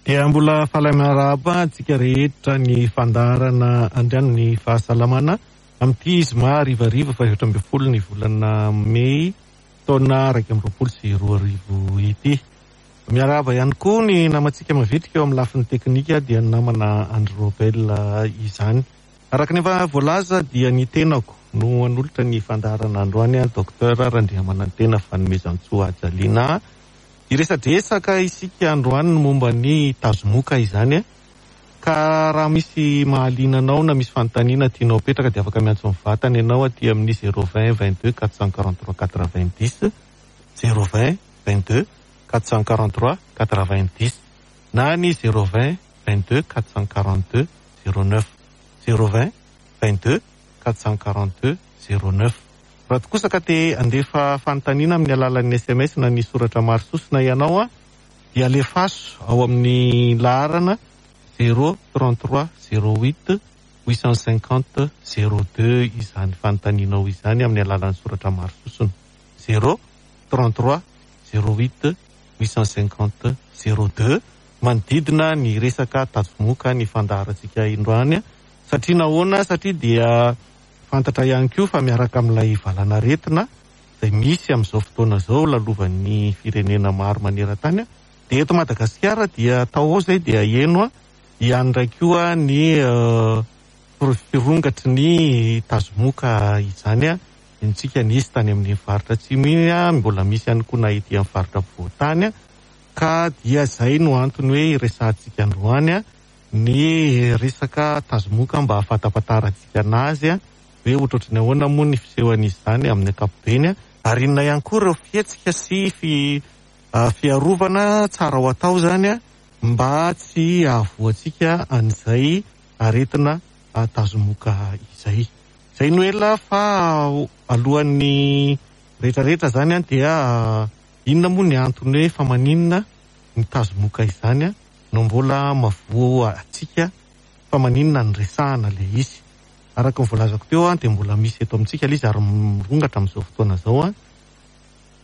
Dia mbola faly miarahaba antsika rehetra ny fandaharana andrian'ny fahasalamana amin'ity zoma harivariva faha 14 ny volana mey taona 2021 ity. Miarahaba ihany koa ny namantsika mavitrika eo amin'ny lafiny teknika dia ny namana Andry Robel izany. Araka ny efa voalaza dia ny tenako no hanolotra ny fandaharana androany, Docteur Randriamanantena Fanomezantsoa Hajalina. Hiresadresaka isika androany ny momba ny tazomoka izany. Ka raha misy mahaliana anao na misy fanontaniana tianao apetraka dia afaka miantso mivantana ianao aty amin'ny 020 22 443 90, 020 22 443 90 na ny 020 22 442 09, 020 22 442 09. Raha toa kosa ka te handefa fanontaniana amin'ny alalan'ny SMS na ny soratra maro sosona ianao dia alefaso ao amin'ny laharana 0 33 08 850 02 izany fanontanianao izany amin'ny alalan'ny soratra maro sosona 0 33 08 850 02. Manodidina ny resaka tazomoka ny fandaharantsika indroany. Satria nahoana? Satria dia fantatra ihany koa fa miaraka amin'ilay valanaretina izay misy amin'izao fotoana izao lalovan'ny firenena maro maneran-tany, dia eto Madagasikara dia tao ao izay dia heno ihany indray koa ny firongatry ny tazomoka izany. Henontsika nisy tany amin'ny faritra atsimo iny, mbola misy ihany koa na ety amin'ny faritra afovoan-tany, ka dia izay no antony hoe iresahantsika androany ny resaka tazomoka mba hahafantapantarantsika anazy hoe ohatrohatry ny ahoana moa ny fisehoan'izy izany amin'ny ankapobeny, ary inona ihany koa ireo fihetsika sy fiarovana tsara ho atao izany mba tsy hahavoantsika an'izay aretina tazomoka izay. Izay no ela fa alohan'ny rehetrarehetra izany dia inona moa ny antony hoe fa maninona ny tazomoka izany no mbola mavoa antsika, fa maninona no resahana ilay izy? Araka ny voalazako teo dia mbola misy eto amintsika ilay izy ary mirongatra amin'izao fotoana izao.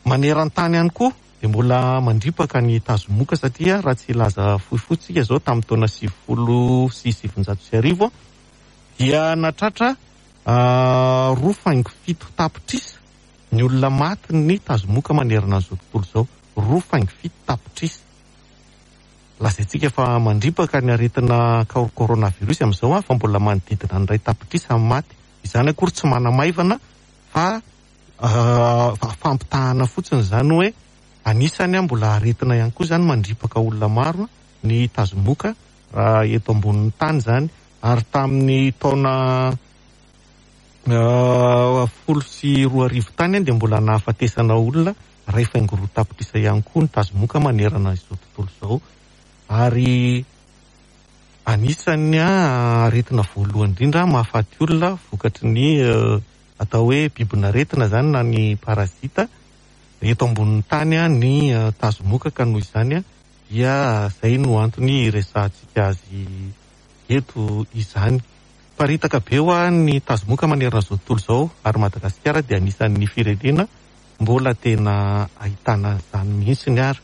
Maneran-tany ihany koa dia mbola mandripaka ny tazomoka satria raha tsy hilaza fohifohy tsika izao tamin'ny taona 1990 dia nahatratra 2,7 tapitrisa ny olona maty ny tazomoka manerana an'izao tontolo izao, 2,7 tapitrisa. Lazaintsika fa mandripaka ny aretina coronavirus amin'izao fa mbola manodidina ny 1 tapitrisa ny maty. Izany akory tsy manamaivana fa fampitahana fotsiny izany hoe anisany mbola aretina ihany koa izany mandripaka olona maro ny tazomoka raha eto ambonin'ny tany izany. Ary tamin'ny taona 2010 tany dia mbola nahafatesana olona 1,2 tapitrisa ihany koa ny tazomoka manerana izao tontolo izao. Ary anisan'ny aretina voalohany indrindra mahafaty olona vokatry ny atao hoe bibin'aretina izany na ny parazita eto ambonin'ny tany ny tazomoka, ka noho izany dia izay no antony iresahantsika azy eto izany. Paritaka be ho an'ny tazomoka manerana izao tontolo izao ary Madagasikara dia anisan'ny firenena mbola tena ahitana izany mihitsy ny ary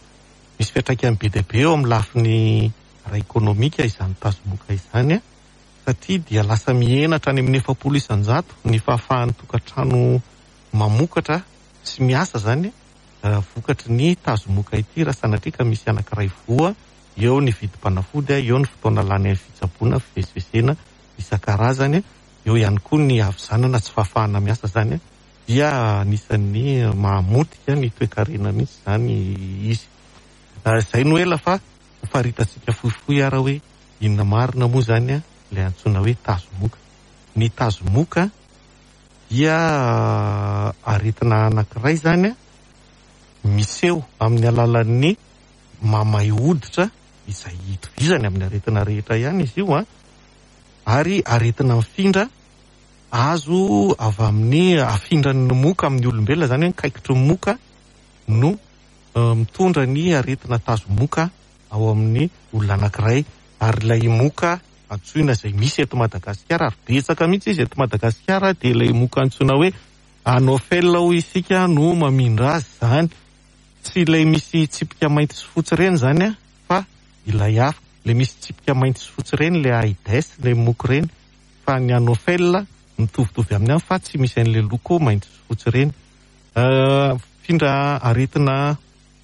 misy fiantraikany be dia be eo amin'ny lafiny ara-ekonomika izany tazomoka izany satria dia lasa mihena hatrany amin'ny 40% ny fahafahan'ny tokantrano mamokatra sy miasa izany vokatry ny tazomoka ity raha sanatria ka misy anankiray voa eo ny vidim-panafody, eo ny fotoana lany amin'ny fitsaboana, fivezivezena isan-karazany, eo ihany koa ny havizanana tsy fahafahana miasa izany dia anisan'ny mahamotika ny toekarena mihitsy izany izy. Izay no ela fa ho faritantsika fohifohy ara hoe inona marina moa izany ilay antsoina hoe tazomoka. Ny tazomoka dia aretina anankiray izany miseho amin'ny alalan'ny mamay hoditra izay itovizany amin'ny aretina rehetra ihany izy io, ary aretina mifindra azo avy amin'ny afindran'ny moka amin'ny olombelona, izany hoe ny kaikitry ny moka no mitondra ny aretina tazomoka ao amin'ny olona anankiray. Ary ilay moka antsoina izay misy eto Madagasikara, ary betsaka mihitsy izy eto Madagasikara, dia ilay moka antsoina hoe Anophel hoy isika no mamindra azy izany. Tsy ilay misy tsipika mainty sy fotsy ireny izany fa ilay hafa. Le misy tsipika mainty sy fotsy ireny le Aedes, le moka ireny. Fa ny Anophel mitovitovy aminy ihany fa tsy misy an'le loko mainty sy fotsy ireny. Mifindra aretina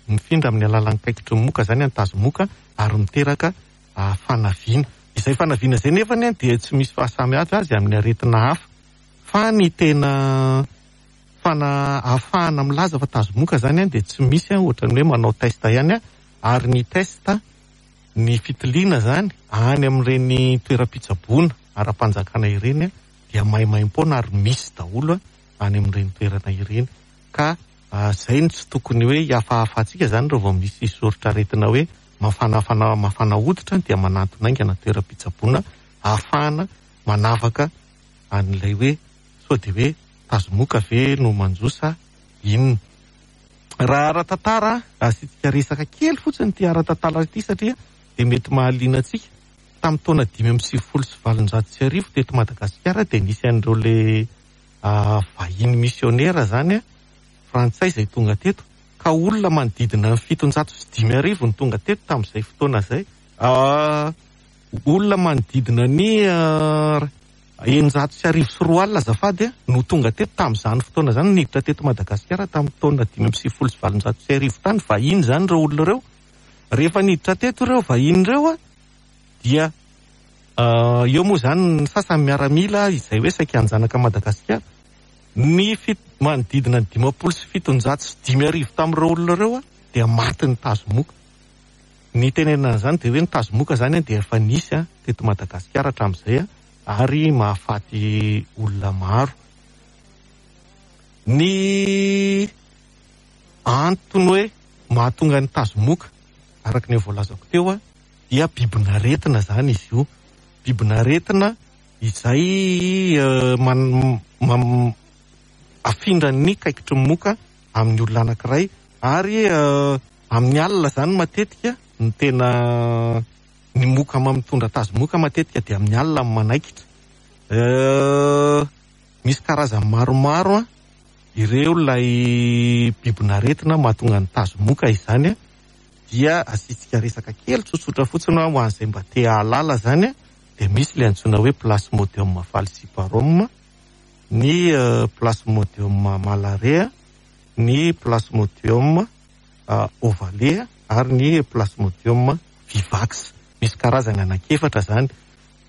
mifindra amin'ny alalan'ny kaikitry ny moka izany ny tazomoka ary miteraka fanaviana. Izay fanaviana izay nefany dia tsy misy fahasamihafa azy amin'ny aretina hafa. Fa ny tena fana ahafahana milaza fa tazomoka izany dia tsy misy ohatran'ny hoe manao test ihany ary ny test ny fitiliana izany any amin'ireny toeram-pitsaboana ara-panjakana ireny dia maimaimpoana ary misy daholo any amin'ireny toerana ireny. Ka izay no tsy tokony hoe hihafahafantsika izany raha vao misy soritr'aretina hoe mafanafana mafana hoditra dia manantona haingana toeram-pitsaboana ahafahana manavaka an'ilay hoe sao dia hoe tazomoka ve no manjo sa inona. Raha ara-tantara, asiantsika resaka kely fotsiny ity ara-tantara ity satria dia mety mahaliana antsika. Tamin'ny taona 1895 teto Madagasikara dia nisy an'ireo le vahiny misionera izany frantsay izay tonga teto, ka olona manodidina ny 57 no tonga teto tamin'izay fotoana izay. Olona manodidina ny 2600 azafady no tonga teto tamin'izany fotoana izany, niditra teto Madagasikara tamin'ny taona 1895 tany. Vahiny izany ireo olona ireo. Rehefa niditra teto ireo vahiny ireo dia eo moa izany ny sasany miaramila izay hoe saika hanjanaka Madagasikara. Ny manodidina ny 750 tamin'ireo olona ireo dia maty ny tazomoka. Ny tenenana an'izany dia hoe ny tazomoka izany dia efa nisy teto Madagasikara hatramin'izay ary mahafaty olona maro. Ny antony hoe mahatonga ny tazomoka araka ny voalazako teo dia bibin'aretina izany izy io. Bibin'aretina izay afindran'ny kaikitry ny moka amin'ny olona anankiray ary amin'ny alina izany matetika ny tena ny moka mitondra tazomoka matetika dia amin'ny alina no manaikitra. Misy karazany maromaro ireo ilay bibin'aretina mahatonga ny tazomoka izany dia asiantsika resaka kely tsotsotra fotsiny ho an'izay mba te hahalala izany dia misy ilay antsoina hoe Plasmodium falciparum, ny Plasmodium malariae, ny Plasmodium ovale ary ny Plasmodium vivax. Misy karazany anankiefatra izany.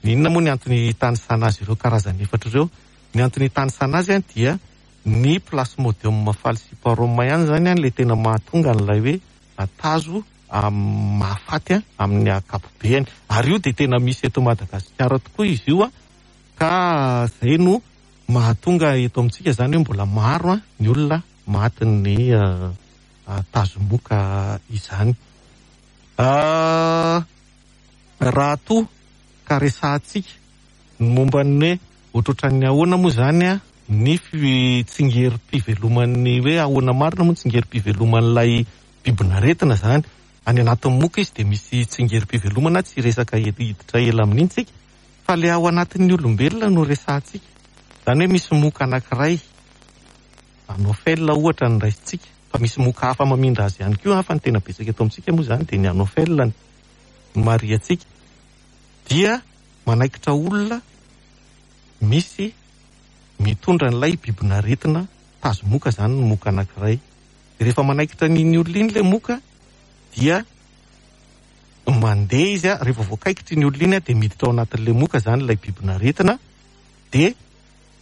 Inona moa ny antony hitanisana azy ireo karazany efatra ireo? Ny antony hitanisana azy dia ny Plasmodium falciparum ihany izany ilay tena mahatonga an'ilay hoe tazo mahafaty amin'ny ankapobeny. Ary io dia tena misy eto Madagasikara tokoa izy io, ka izay no mahatonga eto amintsika izany hoe mbola maro ny olona matin'ny tazomoka izany. Raha toa ka resahantsika ny momba ny hoe ohatrohatran'ny ahoana moa izany ny tsingerim-piveloman'ny hoe ahoana marina moa ny tsingerim-piveloman'ilay bibin'aretina izany. Any anatin'ny moka izy dia misy tsingerim-pivelomana, tsy resaka hiditra ela amin'iny tsika, fa ilay ao anatin'ny olombelona no resahantsika. Izany hoe misy moka anankiray, Anophel ohatra no raisintsika, fa misy moka hafa mamindra azy ihany koa, fa ny tena betsaka eto amintsika moa izany dia ny Anophel no marihantsika, dia manaikitra olona misy mitondra an'ilay bibin'aretina tazomoka izany ny moka anankiray. Rehefa manaikitra an'iny olona iny ilay moka dia mandeha izy, rehefa voakaikitra iny olona iny dia miditra ao anatin'ilay moka izany ilay bibin'aretina, dia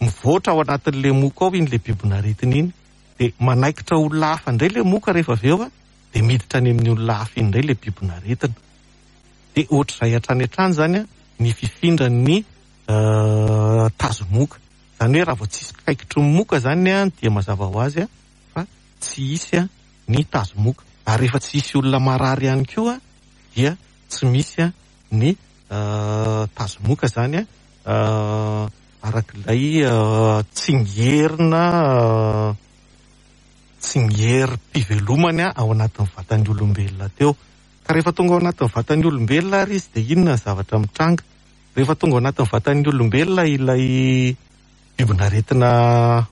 mivoatra ao anatin'ilay moka ao iny ilay bibin'aretina iny, dia manaikitra olona hafa indray ilay moka rehefa avy eo, dia miditra any amin'ny olona hafa iny indray ilay bibin'aretina. Dia ohatr'izay hatrany hatrany izany ny fifindran'ny tazomoka. Izany hoe raha vao tsisy kaikitry ny moka izany dia mazava ho azy fa tsy hisy ny tazomoka. Ary rehefa tsy hisy olona marary ihany koa dia tsy misy ny tazomoka izany arak'ilay tsingerina tsingerim-pivelomany ao anatin'ny vatan'ny olombelona teo. Ka rehefa tonga ao anatin'ny vatan'ny olombelona ary izy dia inona ny zavatra mitranga? Rehefa tonga ao anatin'ny vatan'ny olombelona ilay bibin'aretina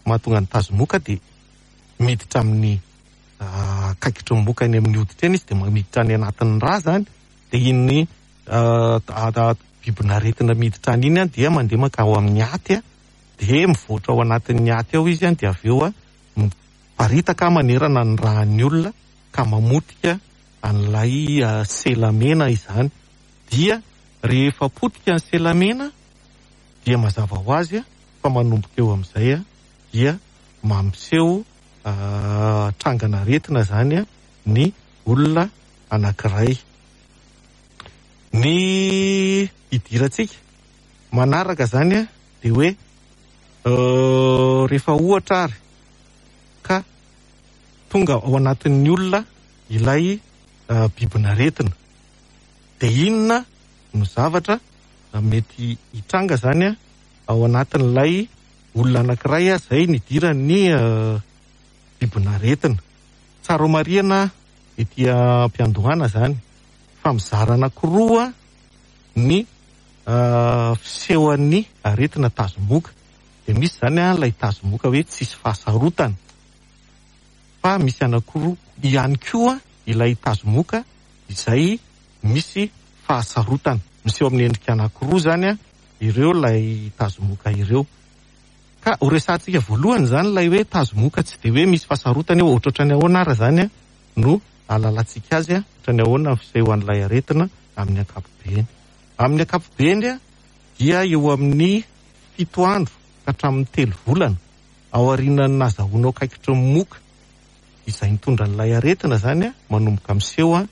mahatonga ny tazomoka dia miditra amin'ny kaikitry ny moka eny amin'ny hoditra eny izy, dia miditra any anatin'ny rà izany, dia iny bibin'aretina miditra any iny dia mandeha mankao amin'ny aty, dia mivoatra ao anatin'ny aty ao izy, dia avy eo miparitaka manerana ny ràn'ny olona ka mamotika an'ilay sela mena izany. Dia rehefa potika ny sela mena dia mazava ho azy fa manomboka eo amin'izay dia mampiseho trangan'aretina izany ny olona anankiray. Ny hidirantsika manaraka izany dia hoe rehefa ohatra ary ka tonga ao anatin'ny olona ilay bibin'aretina, dia inona no zavatra mety hitranga izany ao anatin'ilay olona anankiray izay nidiran'ny bibin'aretina. Tsara ho marihana ety am-piandohana izany fa mizara anankiroa ny fisehoan'ny aretina tazomoka. Dia misy izany ilay tazomoka hoe tsisy fahasarotana, fa misy anankiroa ihany koa ilay tazomoka izay misy fahasarotana. Miseho amin'ny endrika anankiroa izany ireo ilay tazomoka ireo. Ka ho resahantsika voalohany izany ilay hoe tazomoka tsy dia hoe misy fahasarotana eo, ohatrohatran'ny ahoana ara izany no ahalalantsika azy, ohatran'ny ahoana ny fisehoan'ilay aretina amin'ny ankapobeny. Amin'ny ankapobeny dia eo amin'ny 7 andro ka hatramin'ny 3 volana aorianan'ny nahazahoanao kaikitry ny moka izay nitondra an'ilay aretina izany, manomboka miseho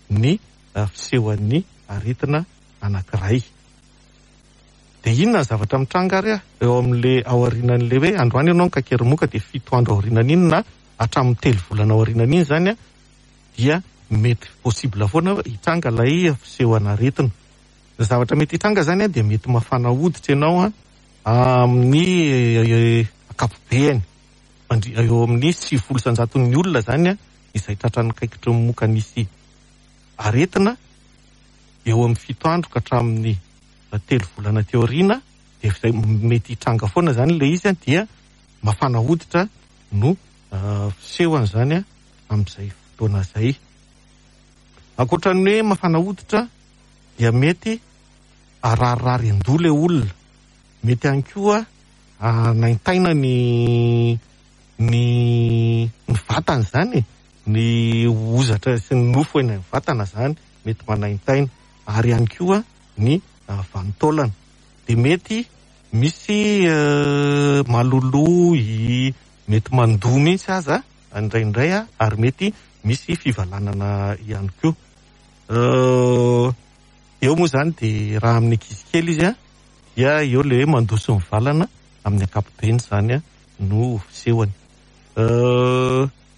ny fisehoan'ny aretina anankiray. Dia inona ny zavatra mitranga ary eo amin'ilay aorianan'ilay hoe androany ianao nikaikery moka dia 7 andro aorianan'iny na hatramin'ny 3 volana aorianan'iny izany dia mety possible foana hitranga ilay fisehoan'aretina. Ny zavatra mety hitranga izany dia mety mafana hoditra ianao amin'ny ankapobeny. Eo amin'ny 90% olona izany izay tratran'ny kaikitry ny moka nisy aretina eo amin'ny 7 andro ka hatramin'ny 3 volana teo aoriana, dia izay mety hitranga foana izany ilay izy dia mafana hoditra no fisehony izany amin'izay fotoana izay. Ankoatra ny hoe mafana hoditra dia mety hararirary an-doha ilay olona, mety ihany koa hanaintaina ny ny ny vatana izany e, ny hozatra sy ny nofo eny amin'ny vatana izany mety manaintaina, ary ihany koa ny vanin-taolana. Dia mety misy maloloy, mety mandoa mihitsy aza indraindray, ary mety misy fivalanana ihany koa. Eo moa izany dia raha amin'ny ankizy kely izy dia eo ilay hoe mandoa sy mivalana amin'ny ankapobeny izany no fisehony.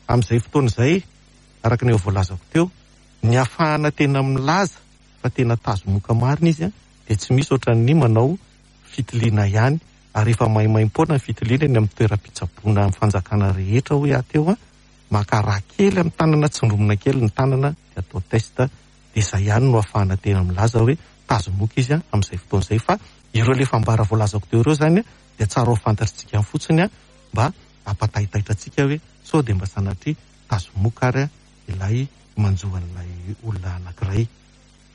Amin'izay fotoana izay, araka ny efa voalazako teo, ny ahafahana tena milaza fa tena tazomoka marina izy dia tsy misy ohatran'ny manao fitiliana ihany, ary efa maimaimpoana ny fitiliana eny amin'ny toeram-pitsaboana amin'ny fanjakana rehetra hoy aho teo, maka rà kely amin'ny tanana, tsindromina kely ny tanana dia atao test, dia izay ihany no ahafahana tena milaza hoe tazomoka izy amin'izay fotoana izay. Fa ireo ilay fambara voalazako teo ireo izany dia tsara ho fantatritsika fotsiny mba hampataitaitra antsika hoe sao dia mba sanatria tazomoka ary ilay manjo an'ilay olona anankiray.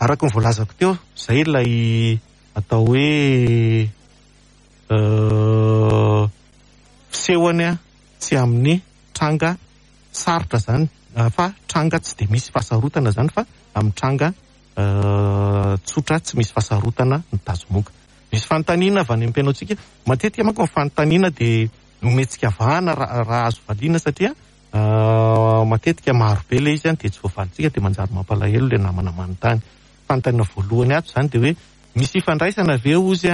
Araka ny voalazako teo, izay ilay atao hoe fisehony tsy amin'ny tranga sarotra izany, fa tranga tsy dia misy fahasarotana izany, fa amin'ny tranga tsotra tsy misy fahasarotana ny tazomoka. Misy fanontaniana avy any amin'ny mpihaino antsika. Matetika manko ny fanontaniana dia omentsika vahana raha azo valiana, satria matetika maro be ilay izy dia tsy voavalintsika, dia manjary mampalahelo ilay namana manontany. Fanontaniana voalohany ato izany dia hoe misy ifandraisana ve ozy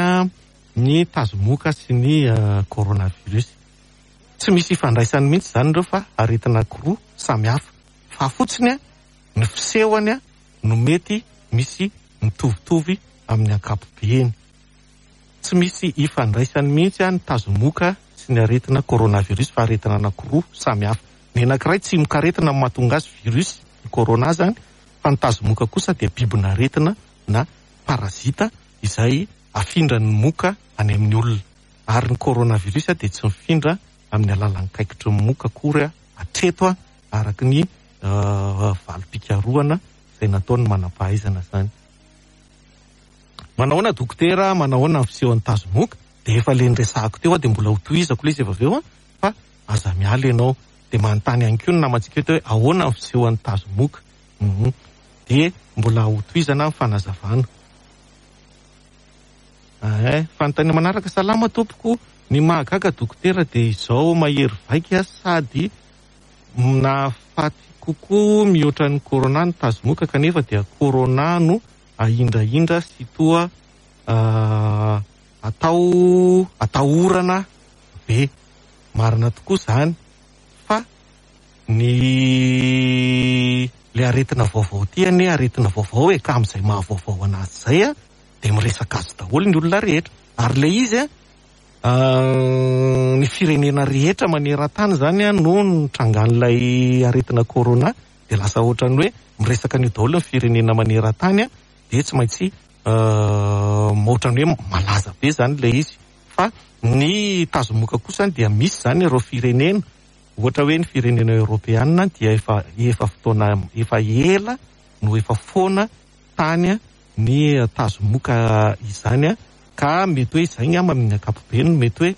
ny tazomoka sy ny coronavirus? Tsy misy ifandraisany mihitsy izany ireo, fa aretina anankiroa samy hafa, fa fotsiny ny fisehony no mety misy mitovitovy amin'ny ankapobeny. Tsy misy ifandraisany mihitsy ny tazomoka sy ny aretina coronavirus, fa aretina anankiroa samy hafa. Ny anankiray tsimokaretina no mahatonga azy, virus, ny corona izany, fa ny tazomoka kosa dia bibin'aretina na parazita izay afindran'ny moka any amin'ny olona. Ary ny coronavirus dia tsy mifindra amin'ny alalan'ny kaikitry ny moka akory hatreto, araka ny valim-pikarohana izay nataon'ny manam-pahaizana izany. Manahoana dokotera, manahoana ny fisehon'ny tazomoka? Dia efa le niresahako teo aho dia mbola hotohizako ilay izy avy eo fa aza miala ianao. Dia manontany ihany koa ny namantsika eto hoe ahoana ny fisehon'ny tazomoka? Dia mbola hotohizana ny fanazavana. Eeh, fanontaniana manaraka, salama tompoko, ny mahagaga dokotera dia izao mahery vaika sady nahafaty kokoa mihoatra ny corona ny tazomoka kanefa dia corona no ahindrahindra sy toa atao atahorana be. Marina tokoa izany fa ny le aretina vaovao ity anie aretina vaovao e, ka amin'izay maha vaovao anazy izay a dia miresaka azy daholo ny olona rehetra. Ary ilay izy a, ny firenena rehetra maneran-tany izany a no nitrangan'ilay aretina corona dia lasa ohatran'ny hoe miresaka an'io daholo ny firenena maneran-tany a, dia tsy maintsy ohatran'ny hoe malaza be izany ilay izy. Fa ny tazomoka kosa dia misy izany ireo firenena, ohatra hoe ny firenena eoropeana dia efa efa fotoana efa ela no efa foana tany ny tazomoka izany ka mety hoe izay angamba amin'ny ankapobeny no mety hoe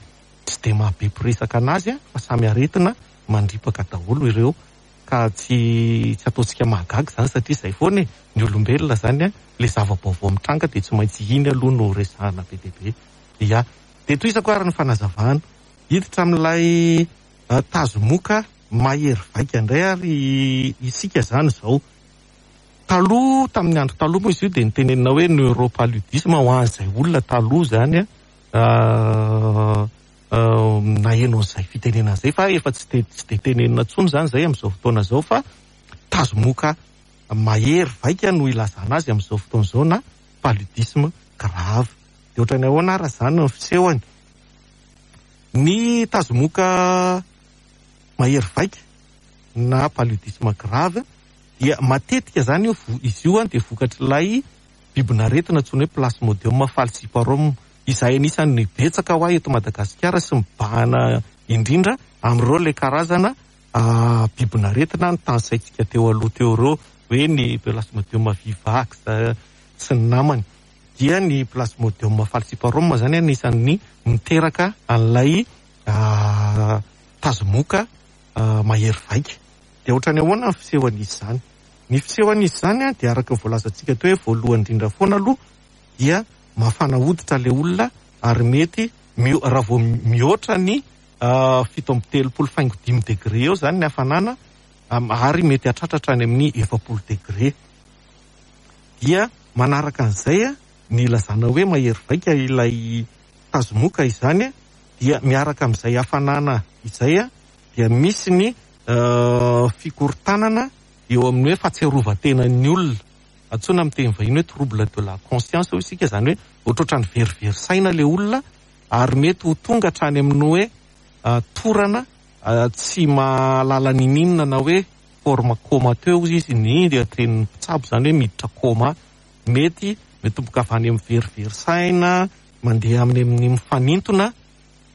tsy dia mahabe mpiresaka anazy fa samy aretina mandripaka daholo ireo ka tsy tsy ataontsika mahagaga izany satria izay foana e, ny olombelona izany ilay zava-baovao mitranga dia tsy maintsy iny aloha no resahana be dia be. Ia. Dia tohizako ary ny fanazavana. Hiditra amin'ilay tazomoka mahery vaika indray ary isika izany izao. Taloha, tamin'ny andro taloha moa izy io dia nitenenina hoe neuropaludisme ho an'izay olona taloha izany naheno an'izay fitenenana izay fa efa tsy dia tsy dia tenenina intsony izany izay amin'izao fotoana izao fa tazomoka mahery vaika no ilazana azy amin'izao fotoana izao na paludisme grave. Dia ohatran'ny ahoana ary izany ny fisehony? Ny tazomoka mahery vaika na paludisme grave dia matetika izany io izy io dia vokatr'ilay bibin'aretina antsoina hoe plasmodium falciparum izay anisan'ny betsaka ho ahy eto Madagasikara sy mibahana indrindra amin'ireo ilay karazana bibin'aretina notanisaintsika teo aloha teo ireo hoe ny plasmodium vivax sy ny namany. Dia ny plasmodium falciparum izany anisan'ny miteraka an'ilay tazomoka mahery vaika. Dia ohatran'ny ahoana ny fisehon'izy izany? Ny fisehon'izy izany dia araka ny voalazantsika teo hoe voalohany indrindra foana aloha dia mafana hoditra ilay olona ary mety raha vao mihoatra ny 37 faingo 5 degré eo izany ny hafanana ary mety hahatratra hatrany amin'ny 40 degré. Dia manaraka an'izay ny ilazana hoe mahery vaika ilay tazomoka izany dia miaraka amin'izay hafanana izay dia misy ny fikorontanana eo amin'ny hoe fahatsiarovan-tenan'ny olona. Antsoina amin'ny teny vahiny hoe trouble de la conscience hoy isika, izany hoe ohatrohatran'ny verivery saina ilay olona ary mety ho tonga hatrany amin'ny hoe torana tsy mahalala niniana na hoe forme comateux hoy izy ny tenin'ny mpitsabo, izany hoe miditra coma. Mety mitomboka avy any amin'ny verivery saina, mandeha amin'ny amin'ny mifanintona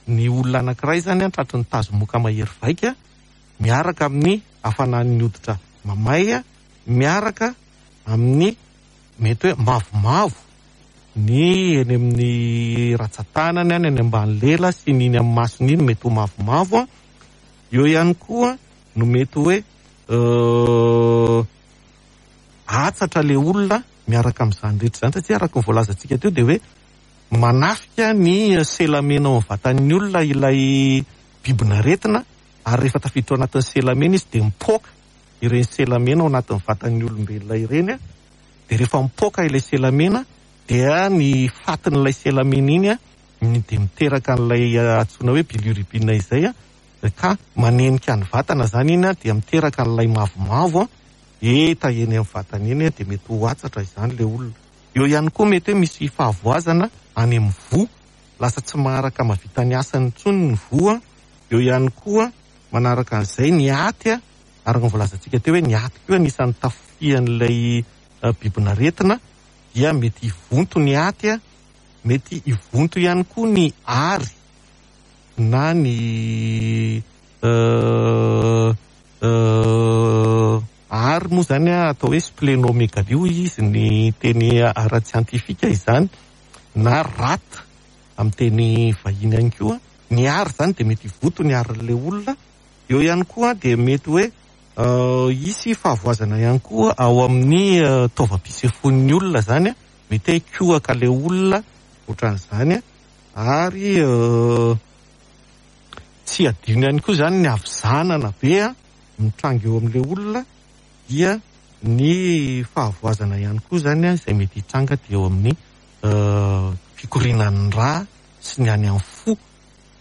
ny olona anankiray izany tratry ny tazomoka mahery vaika miaraka amin'ny hafanan'ny hoditra mamay, miaraka amin'ny mety hoe mavomavo ny eny amin'ny ratsan-tanany, any any ambany lela sy ny iny amin'ny masony iny mety ho mavomavo. Eo ihany koa no mety hoe hatsatra ilay olona miaraka amin'izany rehetra izany, satria araka ny voalazantsika teo dia hoe manafika ny selamena ao amin'ny vatan'ny olona ilay bibin'aretina, ary rehefa tafiditra ao anatin'ny selamena izy dia mipoaka ireny selamena ao anatin'ny vatan'ny olombelona ireny, dia rehefa mipoaka ilay selamena dia ny fatin'ilay selamena iny dia miteraka an'ilay antsoina hoe bilirubine izay, ka manenika ny vatana izany iny dia miteraka an'ilay mavomavo heta eny amin'ny vatana eny, dia mety ho hatsatra izany ilay olona. Eo ihany koa mety hoe misy fahavoazana any amin'ny voa, lasa tsy maharaka mahavita ny asany intsony ny voa. Eo ihany koa manaraka an'izay ny aty, araka ny voalazantsika teo hoe ny aty koa anisan'ny tafihan'ilay bibin'aretina, dia mety hivonto ny aty, mety hivonto ihany koa ny ary na ny ary moa izany atao hoe splénomégalie hoy izy ny teny ara-tsiantifika izany. na rate amin'ny teny vahiny ihany koa. Ny ary izany dia mety hivoto ny arin'ilay olona. Eo ihany koa dia mety hoe hisy fahavoazana ihany koa ao amin'ny taovam-pisefoan'ny olona izany, mety hoe hikohaka ilay olona ohatran'izany, ary tsy adino ihany koa izany ny havizanana be mitranga eo amin'ilay olona, dia ny fahavoazana ihany koa izany izay mety hitranga dia eo amin'ny fikorianan'ny rà sy ny any amin'ny fo,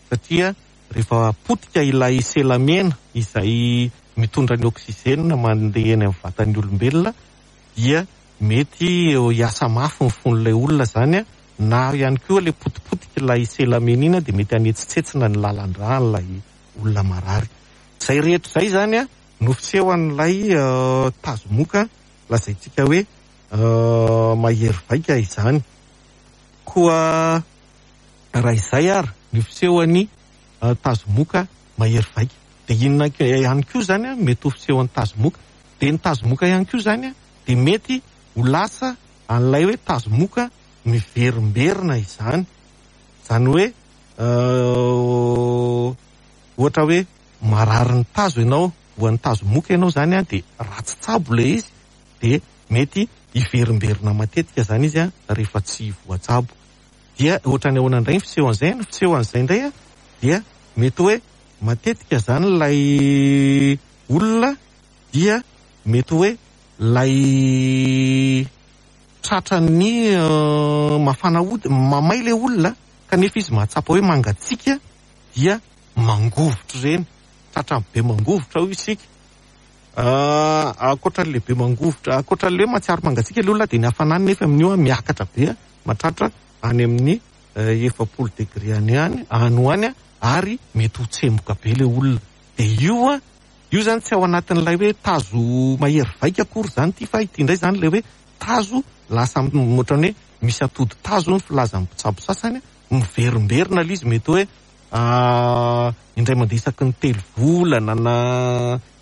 satria rehefa potika ilay sela mena izay mitondra ny oxygène mandeha eny amin'ny vatan'ny olombelona dia mety hiasa mafy ny fon'ilay olona izany, na ihany koa ilay potipotika ilay sela mena iny dia mety hanetsitsetsina ny lalan-drà an'ilay olona marary. Izay rehetra izay izany no fisehoan'ilay tazomoka lazaintsika hoe mahery vaika izany. Koa raha izay ary ny fisehoan'ny tazomoka mahery vaika, dia inona ihany koa izany mety ho fisehoan'ny tazomoka? Dia ny tazomoka ihany koa izany dia mety ho lasa an'ilay hoe tazomoka miverimberina izany. Izany hoe ohatra hoe marary ny tazo ianao, voan'ny tazomoka ianao izany, dia ratsy tsabo ilay izy, dia mety hiverimberina matetika izany izy rehefa tsy voatsabo. Dia ohatran'ny ahoana indray ny fisehoan'izay? Ny fisehoan'izay indray dia mety hoe matetika izany ilay olona dia mety hoe ilay tratran'ny mafana hody, mamay ilay olona kanefa izy mahatsapa hoe mangatsiaka dia mangovitra ireny, tratran'ny be mangovitra hoy isika. Ankoatran'ilay be mangovitra, ankoatran'ilay hoe mahatsiaro mangatsiaka ilay olona dia ny hafanany nefa amin'io miakatra be, mahatratra any amin'ny 40 degré any any, any ho any, ary mety ho tsemboka be ilay olona. Dia io, io izany tsy ao anatin'ilay hoe tazo mahery vaika akory izany ity, fa ity indray izany ilay hoe tazo lasa ohatran'ny hoe misy atody tazo ny filazan'ny mpitsabo sasany, miverimberina ilay izy, mety hoe indray mandeha isaky ny 3 volana na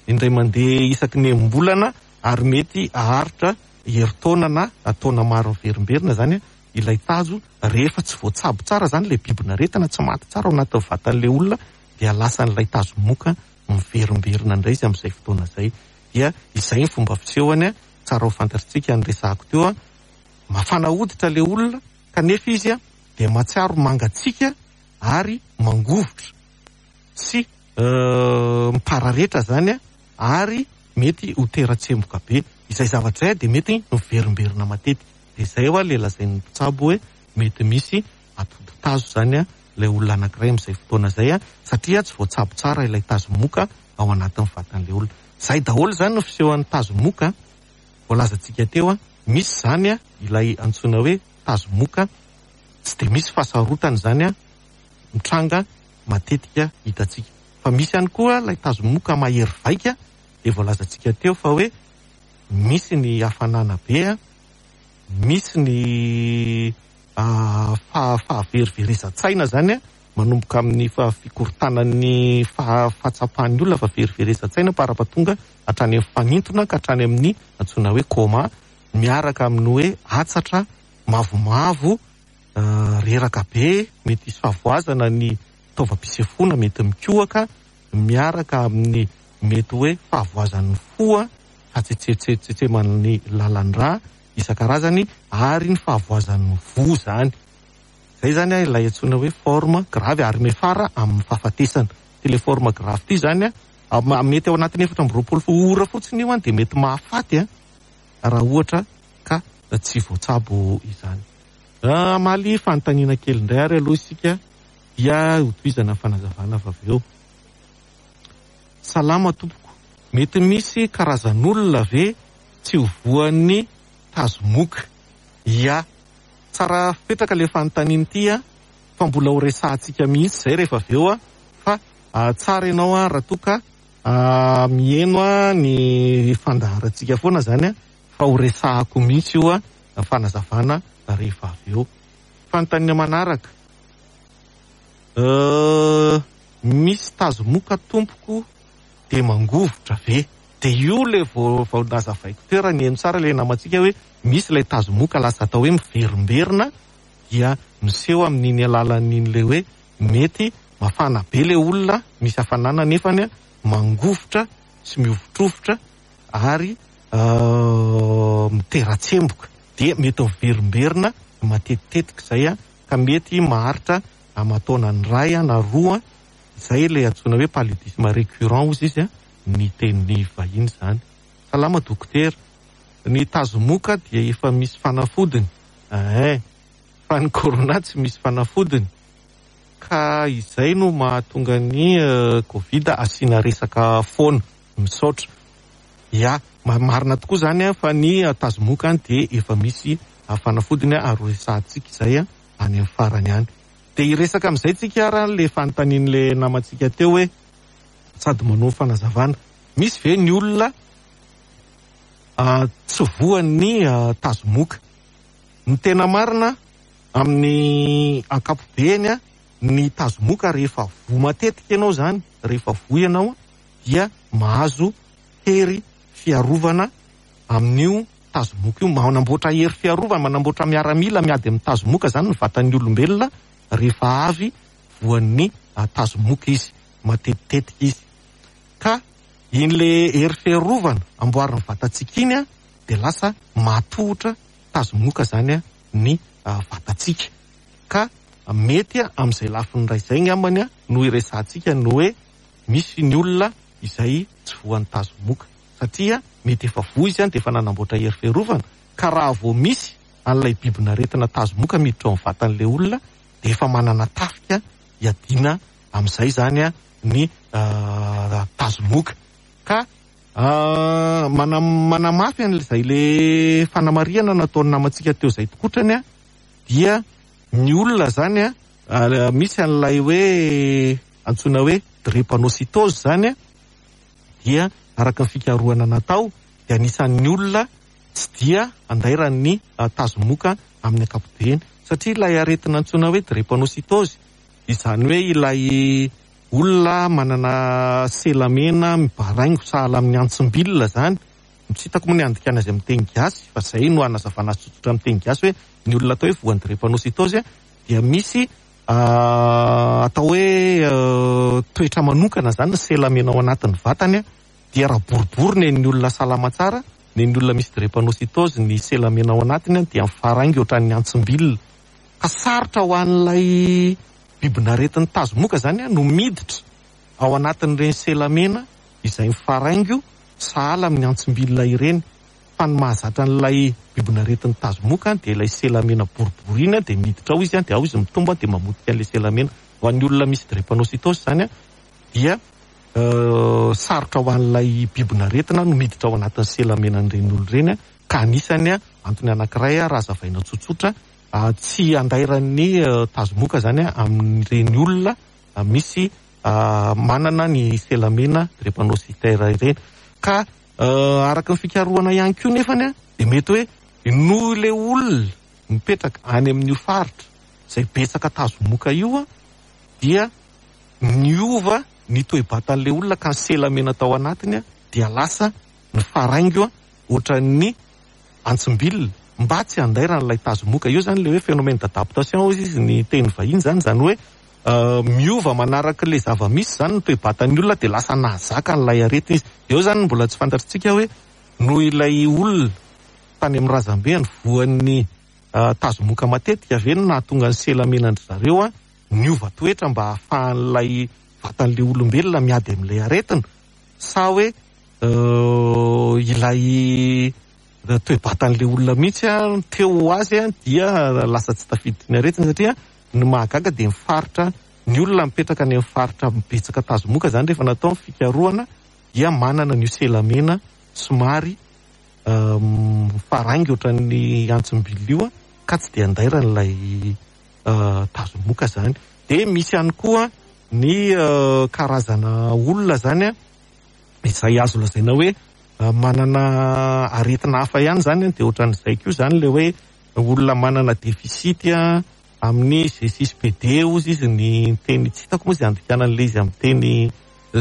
indray mandeha isaky ny enim-bolana, ary mety haharitra herintaona na taona maro miverimberina izany ilay tazo. Rehefa tsy voatsabo tsara izany ilay bibin'aretina, tsy maty tsara ao anatin'ny vatan'ilay olona, dia lasan'ilay tazo moka miverimberina indray izy amin'izay fotoana izay. Dia izay ny fomba fisehony, tsara ho fantatritsika ny resahako teo. Mafana hoditra ilay olona kanefa izy dia mahatsiaro mangatsiaka ary mangovitra sy mipararetra izany, ary mety ho tera-tsemboka be. Izay zavatra izay dia mety miverimberina matetika. Dia izay hoa ilay lazain'ny mpitsabo hoe mety misy atodi-tazo izany ilay olona anankiray amin'izay fotoana izay, satria tsy voatsabo tsara ilay tazomoka ao anatin'ny vatan'ilay olona. Izay daholo izany no fisehoan'ny tazomoka voalazantsika teo. Misy izany ilay antsoina hoe tazomoka, tsy dia misy fahasarotana izany mitranga matetika hitantsika. Fa misy ihany koa ilay tazomoka mahery vaika, dia voalazantsika teo fa hoe misy ny hafanana be, misy ny fahaveriverezan-tsaina izany, manomboka amin'ny fikorontanan'ny fahatsapan'ny olona fa veriverezan-tsaina parapatonga hatrany amin'ny fanintona ka hatrany amin'ny antsoina hoe coma, miaraka amin'ny hoe atsatra mavomavo, reraka be, mety hisy fahavoazana ny taovam-pisefoana, mety mikohaka, miaraka amin'ny mety hoe fahavoazan'ny fo, fahatsetsetseman'ny lalan-drà isan-karazany, ary ny fahavoazan'ny voa izany. Izay izany ilay antsoina hoe forme grave, ary miafara amin'ny fahafatesana. Ity ilay forme grave ity izany, mety ao anatin'ny 24 ora fotsiny io dia mety mahafaty raha ohatra ka tsy voatsabo izany. Hamaly fanontaniana kely indray ary aloha isika dia hotohizana ny fanazavana avy eo. Salama tompoko, mety misy karazan'olona ve tsy ho voan'ny tazomoka? Ia, tsara fipetraka ilay fanontaniana ity fa mbola ho resahantsika mihitsy izay rehefa avy eo, fa tsara ianao raha toa ka miheno ny fandaharantsika foana izany, fa ho resahako mihitsy io fanazavana rehefa avy eo. Fanontaniana manaraka, misy tazomoka tompoko dia mangovitra ve? Dia io ilay vao nazavaiko teo raha niheno tsara ilay namantsika hoe misy ilay tazomoka lasa atao hoe miverimberina. dia miseho amin'iny alalan'iny le hoe mety mafana be le olona, misy hafanana nefany mangovitra sy mihovitrovitra ary mitera-tsemboka, dia mety miverimberina matetitetika izay ka mety maharitra aman-taonany iray na roa, izay ilay antsoina hoe paludisme récurrent hozy izy ny teny vahiny izany. Salama dokotera, ny tazomoka dia efa misy fanafodiny, eh, fa ny corona tsy misy fanafodiny, ka izay no mahatonga ny covid asiana resaka foana. Misaotra. Ya, marina tokoa izany fa ny tazomoka dia efa misy fanafodiny ary ho resahantsika izay any amin'ny farany any. Dia hiresaka amin'izay tsika ary ilay fanontanian'ilay namantsika teo hoe sady manao fanazavana. Misy ve ny olona tsy voan'ny tazomoka? Ny tena marina amin'ny ankapobeny ny tazomoka rehefa voa matetika ianao izany, rehefa voa ianao dia mahazo hery fiarovana amin'io tazomoka io. Manamboatra hery fiarovana, manamboatra miaramila miady amin'ny tazomoka izany ny vatan'ny olombelona rehefa avy voan'ny tazomoka izy, matetitetika izy. Ka iny le hery fiarovana amboarin'ny vatantsika iny dia lasa mahatohitra tazomoka izany ny vatantsika. Ka mety amin'izay lafiny iray izay angambany no iresahantsika ny hoe misy ny olona izay tsy voan'ny tazomoka satria mety efa voa izy dia efa nanamboatra hery fiarovana ka raha vao misy an'ilay bibin'aretina tazomoka miditra ao amin'ny vatan'ilay olona dia efa manana tafika hiadiana amin'izay izany ny tazomoka. Ka manamafy an'izay le fanamarihana nataon'ny namantsika teo izay tokotrany dia ny olona izany misy an'ilay hoe antsoina hoe drépanocytose izany dia araka ny fikarohana natao dia anisan'ny olona tsy dia andairan'ny tazomoka amin'ny ankapobeny satria ilay aretina antsoina hoe drépanocytose izany hoe ilay olona manana sela mena mibaraingo sahala amin'ny antsim-bilona izany, tsy hitako moa ny handikana azy amin'ny teny gasy fa izay no hanazavana azy tsotsotra amin'ny teny gasy hoe ny olona atao hoe voan'ny drépanocytose dia misy atao hoe toetra manokana izany ny sela mena ao anatin'ny vatany dia raha boribory ny an'ny olona salama tsara, ny an'ny olona misy drépanocytose ny sela mena ao anatiny dia mifaraingo ohatran'ny antsim-bilona ka sarotra ho an'ilay bibin'aretin'ny tazomoka izany no miditra ao anatin'ireny sela mena izay mifaraingo sahala amin'ny antsim-bilona ireny. Fa ny mahazatra an'ilay bibin'aretin'ny tazomoka dia ilay sela mena boribory iny dia miditra ao izy dia ao izy mitombo dia mamotika an'ilay sela mena. Ho an'ny olona misy drépanocytose izany dia sarotra ho an'ilay bibin'aretina no miditra ao anatin'ny sela menan'ireny olona ireny ka anisany antony anankiray raha hazavaina tsotsotra tsy andairan'ny tazomoka izany amin'ireny olona misy manana ny sela mena drépanocytaire ireny. Ka araka ny fikarohana ihany koa nefany dia mety hoe noho ilay olona mipetraka any amin'io faritra izay betsaka tazomoka io dia niova ny toe-batan'ilay olona ka ny sela mena tao anatiny dia lasa nifaraingo ohatran'ny antsim-bilona mba tsy handairan'ilay tazomoka. Io izany ilay hoe phénomène d'adaptation hozy izy ny teny vahiny izany, izany hoe miova manaraka ilay zava-misy izany ny toe-batan'ny olona dia lasa nahazaka an'ilay aretina izy. Eo izany no mbola tsy fantatritsika hoe noho ilay olona tany amin'ny razambeny voan'ny tazomoka matetika ve no nahatonga ny sela menan-dry zareo niova toetra mba hahafahan'ilay vatan'ilay olombelona miady amin'ilay aretina sa hoe ilay toe-batan'ilay olona mihitsy teo ho azy dia lasa tsy tafiditry ny aretina satria ny mahagaga dia ny faritra ny olona mipetraka any amin'ny faritra betsaka tazomoka izany rehefa natao ny fikarohana dia manana an'io selamena somary mifaraingo ohatran'ny antsim-bilona io ka tsy dia andairan'ilay tazomoka izany. Dia misy ihany koa ny karazana olona izany izay azo lazaina hoe manana aretina hafa ihany izany dia ohatran'izay koa izany ilay hoe olona manana déficit amin'ny G6PD hozy izy ny teny tsy hitako moa izay andikana an'ilay izy amin'ny teny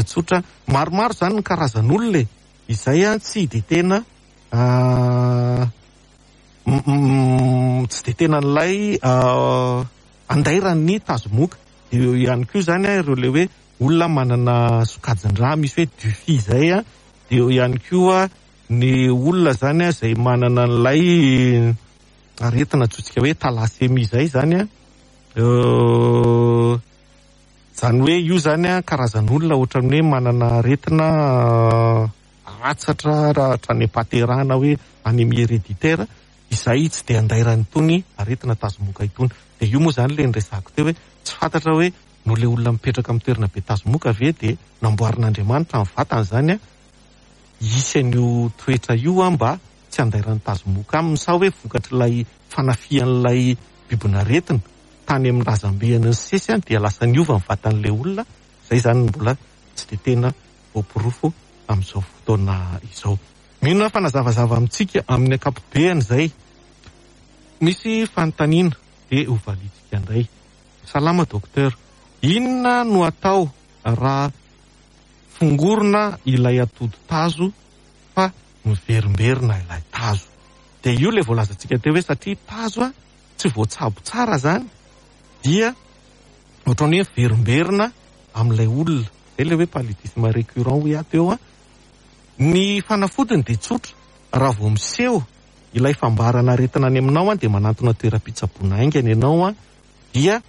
tsotra. Maromaro izany ny karazan'olona e, izay tsy dia tena. tsy dia tena an'ilay andairan'ny tazomoka. Dia eo ihany koa izany ireo ilay hoe olona manana sokajin-drà misy hoe Duffy izay, dia eo ihany koa ny olona izany izay manana an'ilay aretina antsointsika hoe thalassemie izay izany. Izany hoe io izany karazan'olona ohatran'ny hoe manana aretina atsatra raha hatrany am-pahaterahana hoe anémie héréditaire izay tsy dia andairan'itony aretina tazomoka itony. Dia io moa izany ilay niresahako teo hoe tsy fantatra hoe noho ilay olona mipetraka amin'ny toerana be tazomoka ve dia namboarin'Andriamanitra ny vatany izany hisy an'io toetra io mba tsy handairan'ny tazomoka aminy sa hoe vokatr'ilay fanafihan'ilay bibin'aretina tany amin'ny razambeny nisesy dia lasa niova ny vatan'ilay olona. Izay izany no mbola tsy dia tena voaporofo amin'izao fotoana izao. Mino aho fa nazavazava amintsika amin'ny ankapobeany izay. Misy fanontaniana dia hovaliantsika indray. Salama Docteur. Inona no atao raha fongorina ilay atody tazo fa miverimberina ilay tazo? Dia io ilay voalazantsika teo hoe satria tazo tsy voatsabo tsara izany dia ohatran'ny hoe miverimberina amin'ilay olona. Izay ilay hoe paludisme récurrent hoy aho teo an. Ny fanafodiny dia tsotra, raha vao miseho ilay fambarana aretina any aminao dia manantona toeram-pitsaboana haingana ianao dia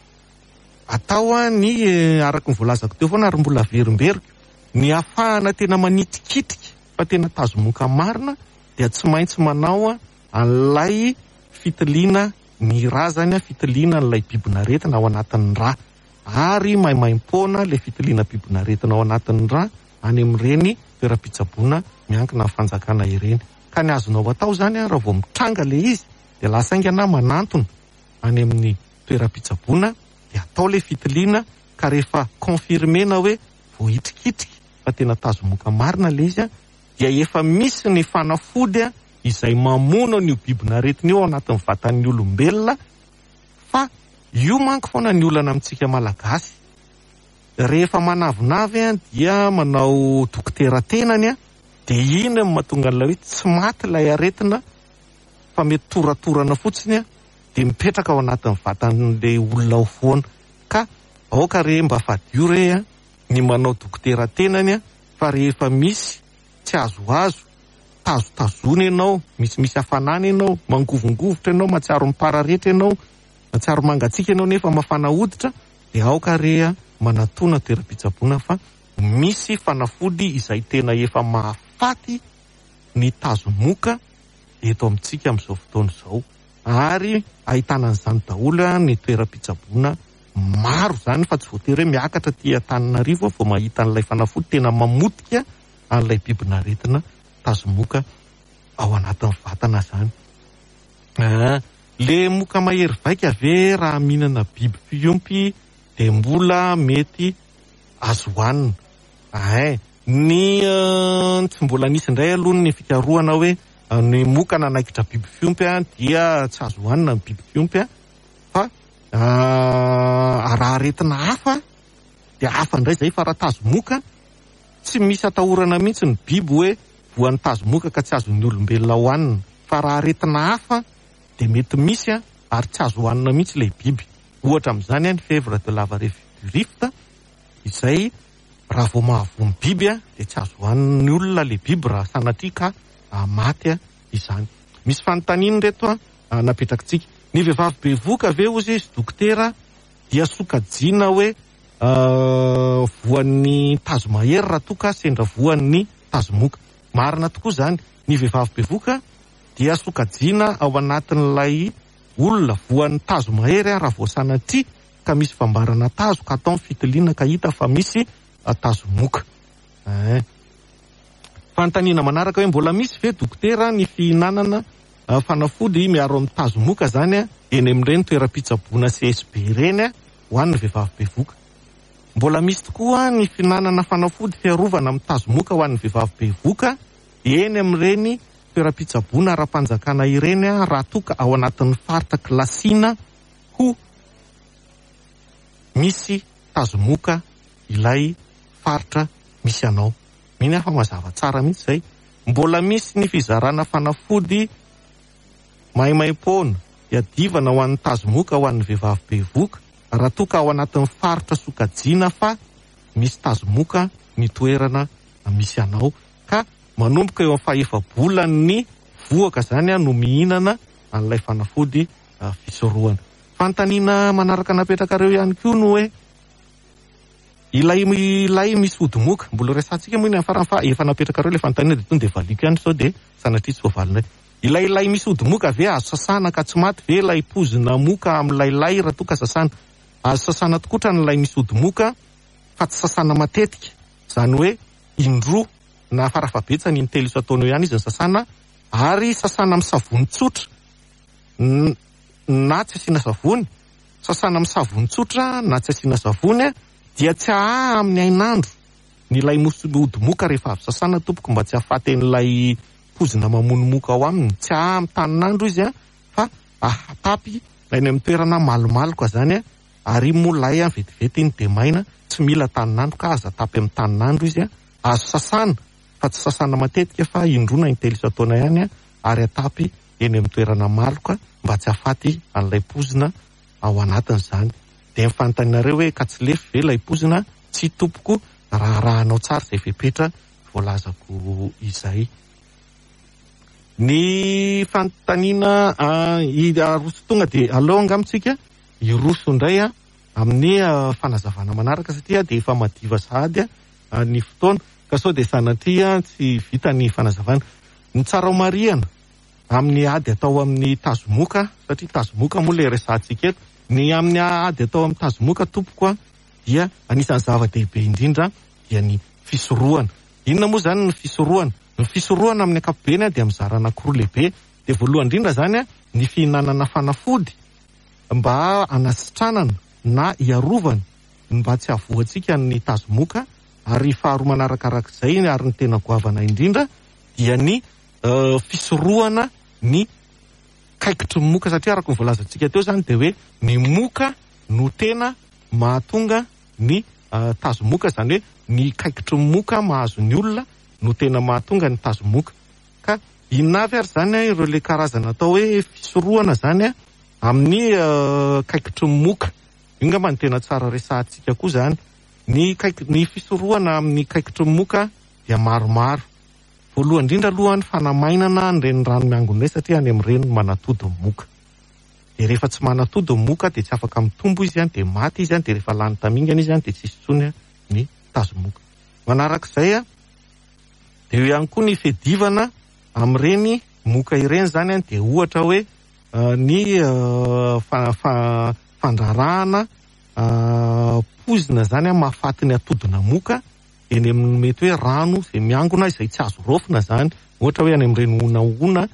atao ny araka ny voalazako teo foana ary mbola averimberiko, ny hahafahana tena manitikitika fa tena tazomoka marina dia tsy maintsy manao an'ilay fitiliana ny rà izany, fitiliana an'ilay bibin'aretina ao anatin'ny rà. Ary maimaimpoana ilay fitiliana bibin'aretina ao anatin'ny rà any amin'ireny toeram-pitsaboana miankina amin'ny fanjakana ireny. Ka ny azonao atao izany raha vao mitranga ilay izy dia lasa haingana manantona any amin'ny toeram-pitsaboana dia atao ilay fitiliana ka rehefa confirmer-na hoe voahitrikitrika fa tena tazomoka marina ilay izy dia efa misy ny fanafody izay mamono an'io bibin'aretina io ao anatin'ny vatan'ny olombelona fa io manko foana ny olana amintsika Malagasy. Rehefa manavinavy dia manao dokotera tenany dia iny no mahatonga an'ilay hoe tsy maty ilay aretina fa mety toratorana fotsiny dia mipetraka ao anatin'ny vatan'ilay olona ao foana. Ka aoka re mba fadio re ny manao dokotera tenany fa rehefa misy tsy azoazo, tazotazona ianao, misimisy hafanana ianao, mangovongovitra ianao, mahatsiaro mipararetra ianao, mahatsiaro mangatsiaka ianao nefa mafana hoditra, dia aoka re manatona toeram-pitsaboana fa misy fanafody izay tena efa mahafaty ny tazomoka eto amintsika amin'izao fotoana izao ary ahitana an'izany daholo ny toeram-pitsaboana maro izany fa tsy voatery hoe miakatra aty Antananarivo vao mahita an'ilay fanafody tena mamotika an'ilay bibin'aretina tazomoka ao anatin'ny vatana izany. Le moka mahery vaika ve raha mihinana biby fiompy dia mbola mety azo hohanina? Ein, ny tsy mbola nisy indray aloha ny fikarohana hoe ny moka nanaikitra biby fiompy dia tsy azo hohanina ny biby fiompy fa raha aretina hafa dia hafa indray izay fa raha tazomoka tsy misy atahorana mihitsy ny biby hoe voan'ny tazomoka ka tsy azon'ny olombelona hohanina fa raha aretina hafa dia mety misy ary tsy azo hohanina mihitsy ilay biby. Ohatra amin'izany ny fièvre de la vallée du Rift izay raha vao mahavoa ny biby dia tsy azo hohanin'ny olona ilay biby raha sanatria ka maty izany. Misy fanontaniana ireto napetrakitsika. Ny vehivavy bevohoka ve hozy izy dokotera dia sokajiana hoe voan'ny tazo mahery raha toa ka sendra voan'ny tazomoka? Marina tokoa izany. Ny vehivavy bevohoka dia sokajiana ao anatin'ilay olona voan'ny tazo mahery raha vao sanatria ka misy fambarana tazo ka atao ny fitiliana ka hita fa misy tazomoka. Eh. Fanontaniana manaraka hoe mbola misy ve dokotera ny fihinanana fanafody miaro amin'ny tazomoka zany eny amin'ireny toeram-pitsaboana CSB ireny ho an'ny vehivavy bevoka? Mbola misy tokoa ny fihinanana fanafody fiarovana amin'ny tazomoka ho an'ny vehivavy bevoka eny amin'ireny toeram-pitsaboana ara-panjakana ireny raha toa ka ao anatin'ny faritra kilasiana ho misy tazomoka ilay faritra misy anao. Mino aho fa mazava tsara mihitsy izay. Mbola misy ny fizarana fanafody. Maimaimpoana, iadivana ho an'ny tazomoka ho an'ny vehivavy bevohoka raha toa ka ao anatin'ny faritra sokajiana fa misy tazomoka ny toerana misy anao ka manomboka eo amin'ny fahefa-bolan'ny vohoka izany no mihinana an'ilay fanafody fisorohana. Fanontaniana manaraka napetrakareo ihany koa no hoe ilay ilay misy ody moka, mbola resahantsika moa iny amin'ny farany fa efa napetrakareo ilay fanontaniana dia tonga dia valiako ihany sao dia sanatria tsy voavalinay. Ilay lay misy ody moka ve azo sasana ka tsy maty ve ilay pozina moka amin'ilay lay raha toa ka sasana? Azo sasana tokotra ny lay misy ody moka fa tsy sasana matetika, izany hoe indroa na farafahabetsany intelo isan-taona eo ihany izy no sasana ary sasana amin'ny savony tsotra na tsy asiana savony, sasana amin'ny savony tsotra na tsy asiana savony dia tsy ahaha amin'ny hainandro ny lay misy ody moka rehefa avy sasana tompoko mba tsy hahafaty an'ilay pozina mamono moka ao aminy, tsy ahaha amin'ny tanin'andro izy fa ahatapy any amin'ny toerana malomaloka zany ary iny moa lay vetivety iny dia maina, tsy mila tanin'andro ka aza atapy amin'ny tanin'andro izy, azo sasana fa tsy sasana matetika fa indroa na intelo isan-taona ihany ary atapy eny amin'ny toerana maloka mba tsy hahafaty an'ilay pozina ao anatiny izany. Dia ny fanontanianareo hoe ka tsy lefy ve ilay pozina? Tsia tompoko, raha arahanao tsara izay fepetra voalazako izay. Ny fanontaniana aroso tonga dia aleo angamba tsika hiroso indray amin'ny fanazavana manaraka satria dia efa madiva sahady ny fotoana ka sao dia sanatria tsy vita ny fanazavana. Ny tsara ho marihana amin'ny ady atao amin'ny tazomoka, satria tazomoka moa ilay resahantsika eto, ny amin'ny ady atao amin'ny tazomoka tompoko dia anisan'ny zava-dehibe indrindra dia ny fisorohana. Inona moa izany ny fisorohana? Ny fisorohana amin'ny ankapobeny dia mizara anankiroa lehibe. Dia voalohany indrindra izany ny fihinanana fanafody mba hanasitranana na hiarovana mba tsy hahavoantsika ny tazomoka, ary faharoa manarakarak'izay ary ny tena goavana indrindra dia ny fisorohana ny kaikitry ny moka, satria araka ny voalazantsika teo izany dia hoe ny moka no tena mahatonga ny tazomoka, izany hoe ny kaikitry ny moka mahazo ny olona no tena mahatonga ny tazomoka. Ka inona avy ary izany ireo le karazana atao hoe fisorohana izany amin'ny kaikitry ny moka? Io angamba no tena tsara resahantsika koa izany. Ny kaiky, ny fisorohana amin'ny kaikitry ny moka dia maromaro. Voalohany indrindra aloha ny fanamainana an'ireny rano miangona ireny satria any amin'ireny no manatody ny moka. Dia rehefa tsy manatody ny moka dia tsy afaka mitombo izy, dia maty izy, dia rehefa lany tamingana izy dia tsisy intsony ny tazomoka. Manarak'izay dia eo ihany koa ny fiadivana amin'ireny moka ireny izany, dia ohatra hoe ny fandrarahana poizina izany mahafaty ny atodina moka eny amin'ny mety hoe rano izay miangona izay tsy azo raofina izany, ohatra hoe any amin'ireny honahona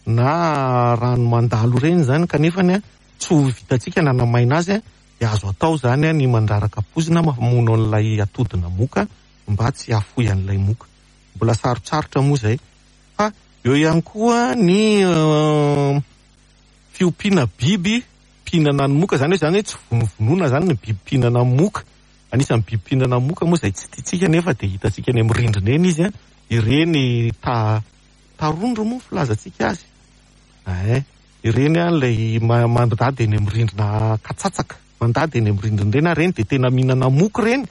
na rano mandalo ireny izany, kanefa tsy ho vitantsika ny hanamaina azy, dia azo atao izany ny mandraraka poizina mamono an'ilay atodina moka mba tsy hahafoy an'ilay moka. Mbola sarotsarotra moa izay. Fa eo ihany koa ny fiompiana biby mpihinana ny moka, izany hoe izany hoe tsy vonovonoina izany ny biby mpihinana moka. Anisan'ny biby mpihinana moka moa izay tsy tiantsika nefa dia hitantsika eny amin'ny rindrina eny izy, ireny tarondro moa filazantsika azy. Ein, ireny ilay mandady eny amin'ny rindrina katsatsaka, mandady eny amin'ny rindrina ireny, ireny dia tena mihinana moka ireny.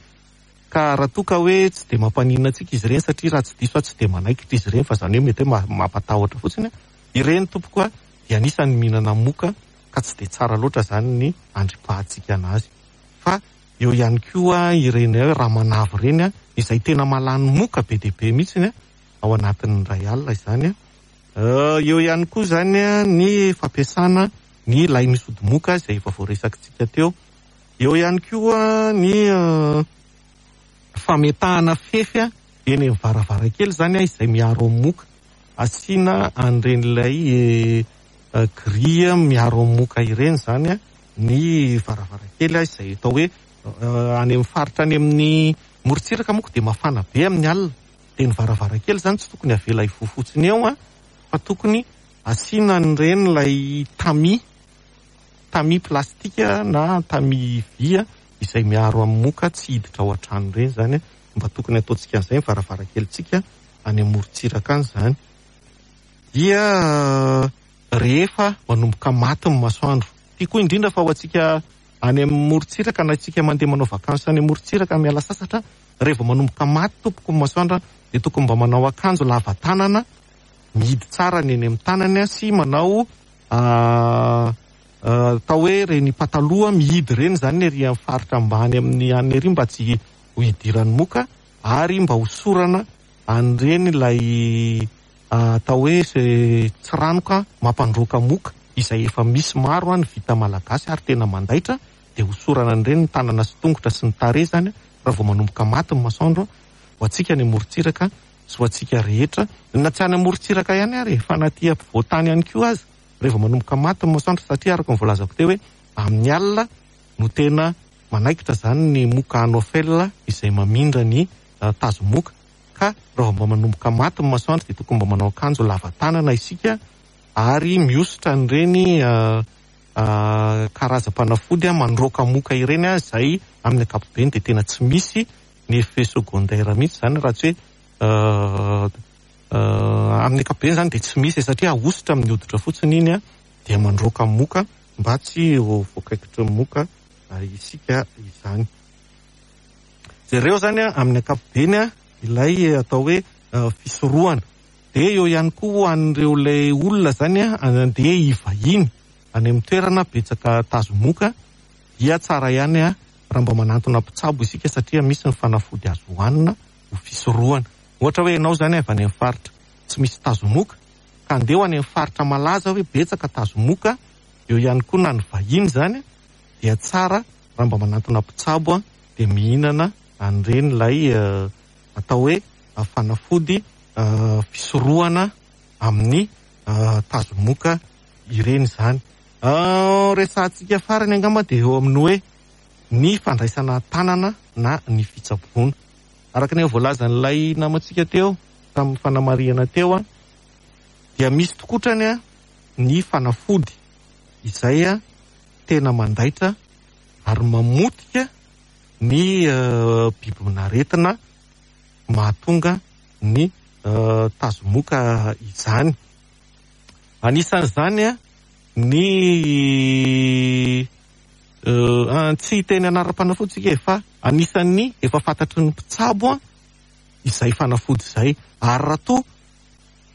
Ka raha toa ka hoe tsy dia mampaninona antsika izy ireny satria raha tsy diso aho tsy dia manaikitra izy ireny fa izany hoe mety hoe mampatahotra fotsiny, ireny tompoko a dia anisan'ny mihinana moka ka tsy dia tsara loatra izany ny andripahantsika anazy. Fa eo ihany koa ireny hoe ramanavy ireny izay tena mahalany moka be dia be mihitsy ao anatin'ny iray alina izany. Eo ihany koa izany ny fampiasana ny lay misy ody moka izay efa voaresakitsika teo. Eo ihany koa ny fametahana fefy eny amin'ny varavarankely izany izay miaro amin'ny moka. Asiana an'ireny ilay grille miaro amin'ny moka ireny izany ny varavarankely izay atao hoe any amin'ny faritra any amin'ny morontsiraka moa dia mafana be amin'ny alina. Dia ny varavarankely izany tsy tokony avela hivoha fotsiny eo fa tokony asiana an'ireny ilay tamis. Tamis plastika na tamis vy izay miaro amin'ny moka tsy hiditra ao an-trano ireny izany, mba tokony ataontsika an'izay ny varavarankelintsika any amorontsiraka any izany. Dia rehefa manomboka maty ny masoandro. Ity koa indrindra fa ho antsika any amin'ny morontsiraka na isika mandeha manao vakansy any morontsiraka miala sasatra, rehefa manomboka maty tompoko ny masoandro dia tokony mba manao akanjo lava tanana mihidy tsara ny eny amin'ny tanany sy manao atao hoe reny pataloha mihidy ireny izany ery amin'ny faritra ambany amin'ny any ery mba tsy ho hidiran'ny moka, ary mba hosorana an'ireny ilay atao hoe tsiranoka mampandroaka moka izay efa misy maro ny vita malagasy ary tena mandaitra, dia hosorana an'ireny ny tanana sy tongotra sy ny tarehy izany raha vao manomboka maty ny masoandro ho antsika any amorontsiraka sy ho antsika rehetra, na tsy any amorontsiraka ihany ary fa na aty ampovoan-tany ihany koa aza rehefa manomboka maty ny masoandro, satria araka ny voalazako teo hoe amin'ny alina no tena manaikitra izany ny moka anofel izay mamindra ny tazomoka, ka raha mba manomboka maty ny masoandro dia tokony mba manao akanjo lava tanana isika ary mihosotra an'ireny karazam-panafody mandroaka moka ireny izay amin'ny ankapobeny dia tena tsy misy ny effet secondaire mihitsy izany, raha tsy hoe amin'ny ankapobeny izany dia tsy misy satria ahosotra amin'ny hoditra fotsiny iny dia mandroaka moka mba tsy ho voakaikitry ny moka isika izany. Jereo izany amin'ny ankapobeny ilay atao hoe fisorohana. Dia eo ihany koa ho an'ireo ilay olona izany andeha hivahiny any amin'ny toerana betsaka tazomoka dia tsara ihany raha mba manantona mpitsabo isika satria misy ny fanafody azo hohanina ho fisorohana. Ohatra hoe ianao izany avy any amin'ny faritra tsy misy tazomoka ka andeha ho any amin'ny faritra malaza hoe betsaka tazomoka, eo ihany koa na ny vahiny izany dia tsara raha mba manantona mpitsabo dia mihinana an'ireny ilay atao hoe fanafody fisorohana amin'ny tazomoka ireny izany. Resahantsika farany angamba dia eo amin'ny hoe ny fandraisana tanana na ny fitsaboana. Araka ny voalazan'ilay namantsika teo tamin'ny fanamarihana teo dia misy tokotrany ny fanafody izay tena mandaitra ary mamotika ny bibin'aretina mahatonga ny tazomoka izany. Anisan'izany ny tsy hiteny anaram-panafody isika fa anisan'ny efa fantatry ny mpitsabo izay fanafody izay, ary raha toa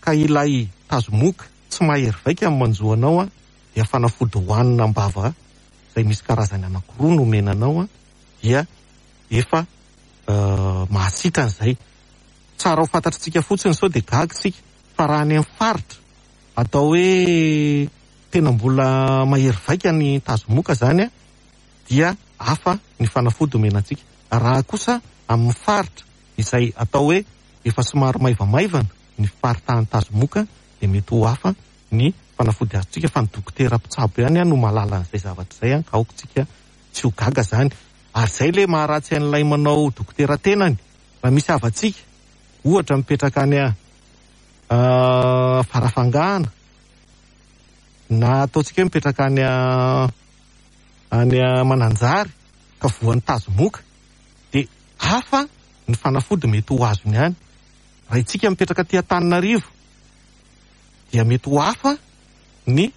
ka ilay tazomoka tsy mahery vaika ny manjo anao dia fanafody hohanina am-bava izay misy karazany anankiroa no omena anao dia efa mahasitrana izay. Tsara ho fantatritsika fotsiny sao dia gaga isika fa raha any amin'ny faritra atao hoe tena mbola mahery vaika ny tazomoka izany dia hafa ny fanafody omena antsika. Raha kosa amin'ny faritra izay atao hoe efa somary maivamaivana ny fiparitahan'ny tazomoka dia mety ho hafa ny fanafody azontsika, fa ny dokotera mpitsabo ihany no mahalala an'izay zavatra izay, ka aoka isika tsy ho gaga izany. Ary izay ilay maharatsy an'ilay manao dokotera tenany, raha misy havantsika ohatra mipetraka any Farafangana na ataontsika hoe mipetraka any any Mananjary ka voan'ny tazomoka dia hafa ny fanafody mety ho azony any. Raha isika mipetraka aty Antananarivo dia mety ho hafa ny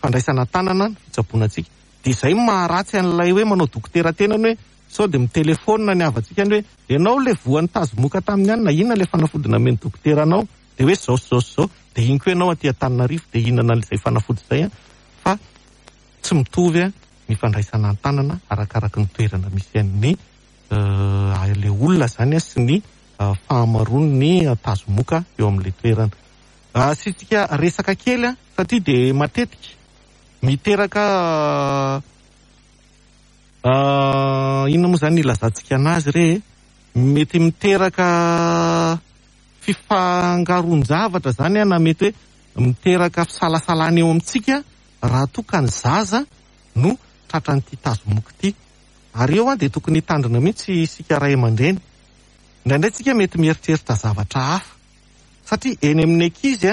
fandraisana tanana ny fitsaboana antsika. Dia izay no maharatsy an'ilay hoe manao dokotera tenany hoe sao dia mitelefaonina ny havantsika any hoe ianao ilay voan'ny tazomoka tamin'ny anona, inona ilay fanafody namen'ny dokotera anao? Dia hoe izao sy izao sy izao, dia iny koa ianao aty Antananarivo dia hihinana an'izay fanafody izay fa tsy mitovy ny fandraisana an-tanana arakaraky ny toerana misy an'ny ilay olona izany sy ny fahamaroan'ny tazomoka eo amin'ilay toerana. Asiantsika resaka kely satria dia matetika miteraka inona moa izany ilazantsika anazy re? Mety miteraka fifangaroan-javatra izany na mety hoe miteraka fisalasalana eo amintsika raha toa ka ny zaza no tratran'ity tazomoka ity. Ary eo dia tokony hitandrina mihitsy isika ray aman-dreny. Indraindray tsika mety mieritreritra zavatra hafa satria eny amin'ny ankizy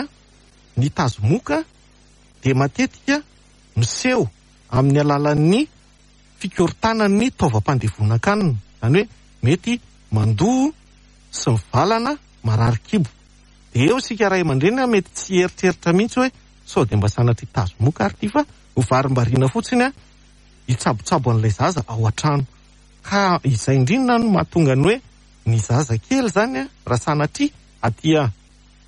ny tazomoka dia matetika miseho amin'ny alalan'ny fikorontanan'ny taovam-pandevonan-kanina, izany hoe mety mandoa sy mivalana, marary kibo. Dia eo isika ray aman-dreny mety tsy hieritreritra mihitsy hoe sao dia mba sanatria tazomoka ary ity fa ho varimbariana fotsiny a hitsabotsabo an'ilay zaza ao an-trano. Ka izay indrindra no mahatonga ny hoe ny zaza kely izany a raha sanatria aty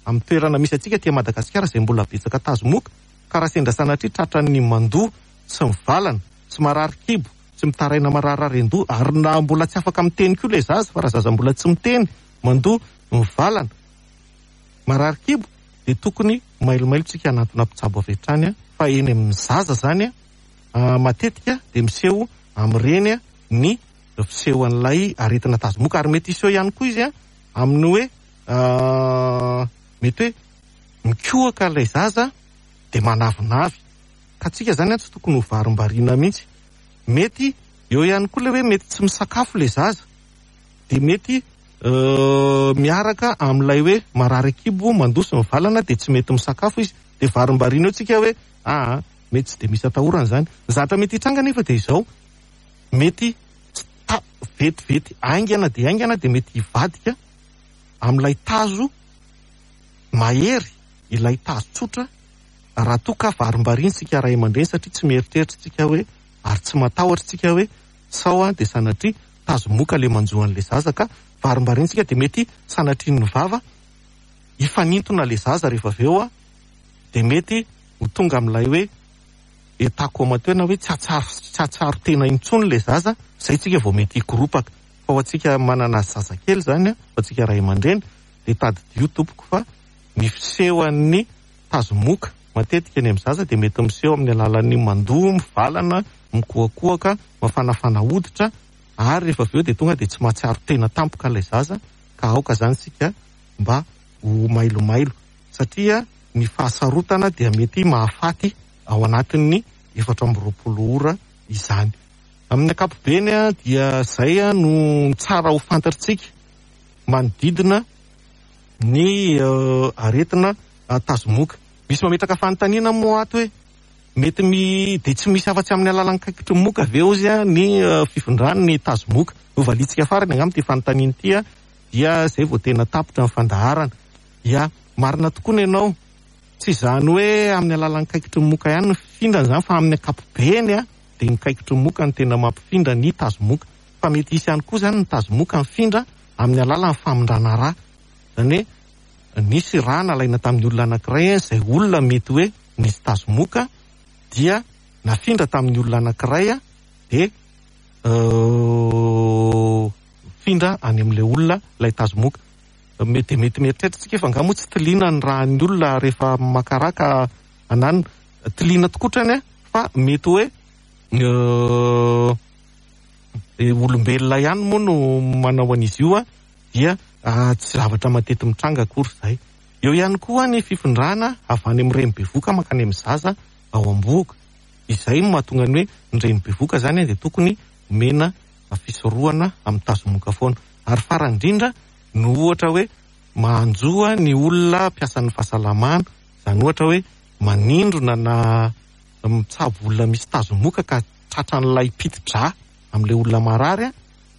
amin'ny toerana misy antsika aty Madagasikara izay mbola betsaka tazomoka, ka raha sendra sanatria tratran'ny mandoa sy mivalana sy marary kibo sy mitaraina mararary an-doha, ary na mbola tsy afaka miteny koa ilay zaza, fa raha zaza mbola tsy miteny, mandoa, mivalana, marary kibo, dia tokony mailomailo tsika hanantona mpitsabo avy hatrany, fa eny amin'ny zaza izany matetika dia miseho amin'ireny ny fisehoan'ilay aretina tazomoka, ary mety hiseho ihany koa izy amin'ny hoe mety hoe mikohaka ilay zaza dia manavinavy, ka tsika izany tsy tokony ho varimbariana mihitsy. Mety eo ihany koa ilay hoe mety tsy misakafo ilay zaza, dia mety miaraka amin'ilay hoe marary an-kibo, mandoa sy mivalana, dia tsy mety misakafo izy, dia varimbariana eo tsika hoe aa mety tsy dia misy atahorana izany. Ny zavatra mety hitranga nefa dia izao, mety tsy ta-, vetivety haingana dia haingana dia mety hivadika amin'ilay tazo mahery, ilay tazo tsotra, raha toa ka varimbariana isika ray aman-dreny, satria tsy mieritreritra isika hoe, ary tsy matahotra isika hoe sao dia sanatria tazomoka ilay manjo an'ilay zaza, ka varimbariana isika dia mety sanatria ny vava hifanintona ilay zaza rehefa avy eo dia mety ho tonga amin'ilay hoe état comateux na hoe tsy hahatsiaro, tsy hahatsiaro tena intsony ilay zaza, izay isika vao mety hikoropaka. Fa ho antsika manana zazakely izany, ho antsika ray aman-dreny, dia tadidio tompoko fa ny fisehoan'ny tazomoka matetika eny amin'ny zaza dia mety miseho amin'ny alalan'ny mandoa, mivalana, mikohakohaka, mafanafana hoditra, ary rehefa avy eo dia tonga dia tsy mahatsiaro tena tampoka ilay zaza, ka aoka izany isika mba ho mailomailo, satria ny fahasarotana dia mety mahafaty ao anatin'ny 24 ora izany. Amin'ny ankapobeny dia izay no tsara ho fantatritsika manodidina ny aretina tazomoka. Misy mametraka fanontaniana moa ato hoe mety mi-, dia tsy misy afa-tsy amin'ny alalan'ny kaikitry ny moka ve hozy ny fifindran'ny tazomoka? Novaliantsika farany angamba ity fanontaniana ity, dia izay vao tena tapitra ny fandaharana. Ya, marina tokoa ny anao, tsy izany hoe amin'ny alalan'ny kaikitry ny moka ihany ny fifindrana izany, fa amin'ny ankapobeny dia ny kaikitry ny moka no tena mampifindra ny tazomoka. Fa mety hisy ihany koa izany ny tazomoka mifindra amin'ny alalan'ny famindrana rà. Izany hoe nisy rà nalaina tamin'ny olona anankiray, izay olona mety hoe nisy tazomoka dia nafindra tamin'ny olona anankiray, dia mifindra any amin'ilay olona ilay tazomoka. Mety dia mety mieritreritra isika fa angaha moa tsy tiliana ny ràn'ny olona rehefa maka rà ka ananona. Tiliana tokoa trany fa mety hoe olombelona ihany moa no manao an'izy io, dia tsy zavatra matety mitranga akory izay. Eo ihany koa ny fifindrana avy any amin'ny reny bevoka mankany amin'ny zaza ao am-bohoka. Izay no mahatonga ny hoe ny reny bevoka izany dia tokony omena fisorohana amin'ny tazomoka foana. Ary farany indrindra no ohatra hoe manjo ny olona mpiasan'ny fahasalamana, izany ohatra hoe manindrona na mitsabo olona misy tazomoka ka tratran'ilay piti-drà amin'ilay olona marary,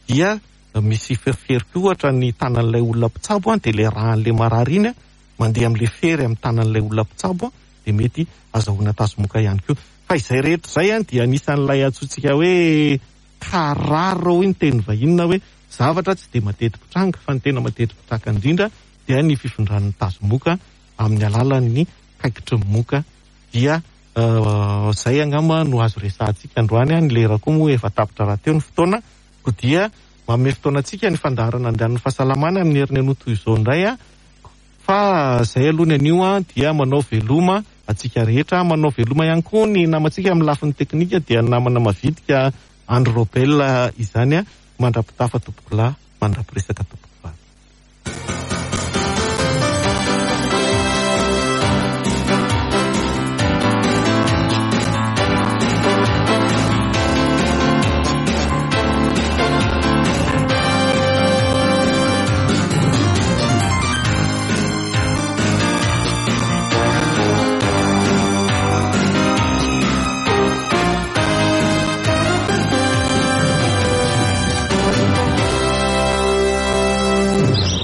dia misy fery koa ohatra ny tanan'ilay olona mpitsabo, dia ilay ràn'ilay marary iny mandeha amin'ilay fery amin'ny tanan'ilay olona mpitsabo, dia mety azahoana tazomoka ihany koa. Fa izay rehetra izay dia anisan'ilay antsointsika hoe cas rare hoy ny teny vahiny, na hoe zavatra tsy dia mateti-pitranga, fa ny tena mateti-pitranga indrindra dia ny fifindran'ny tazomoka amin'ny alalan'ny kaikitry ny moka. Dia izay angamba no azo resahantsika androany. Ny lera koa moa efa tapitra rahateo ny fotoana, koa dia manome fotoana antsika ny fandaharana andian'ny fahasalamana amin'ny heriny anio toy izao indray. Fa izay aloha ny anio dia manao veloma antsika rehetra, manao veloma ihany koa ny namantsika amin'ny lafiny teknika dia ny namana mavitrika Andry Robel izany. Mandra-pitafa tompokolahy, mandra-piresaka tompoko.